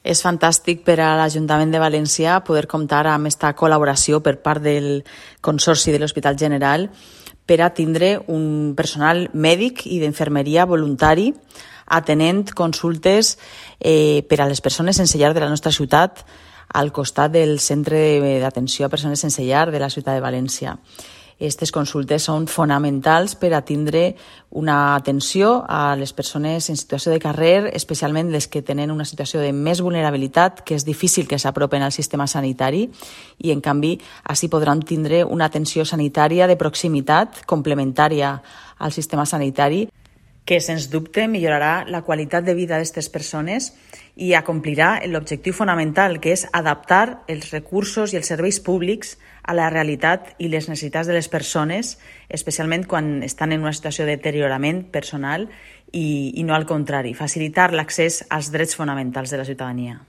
És fantàstic per a l'Ajuntament de València poder comptar amb aquesta col·laboració per part del Consorci de l'Hospital General per a tindre un personal mèdic i d'infermeria voluntari atenent consultes per a les persones sense llar de la nostra ciutat al costat del Centre d'Atenció a Persones Sense Llar de la ciutat de València. Aquestes consultes són fonamentals per a tindre una atenció a les persones en situació de carrer, especialment les que tenen una situació de més vulnerabilitat, que és difícil que s'apropen al sistema sanitari i, en canvi, així podran tindre una atenció sanitària de proximitat complementària al sistema sanitari que, sens dubte, millorarà la qualitat de vida d'aquestes persones i acomplirà l'objectiu fonamental, que és adaptar els recursos i els serveis públics a la realitat i les necessitats de les persones, especialment quan estan en una situació de deteriorament personal i no al contrari, facilitar l'accés als drets fonamentals de la ciutadania.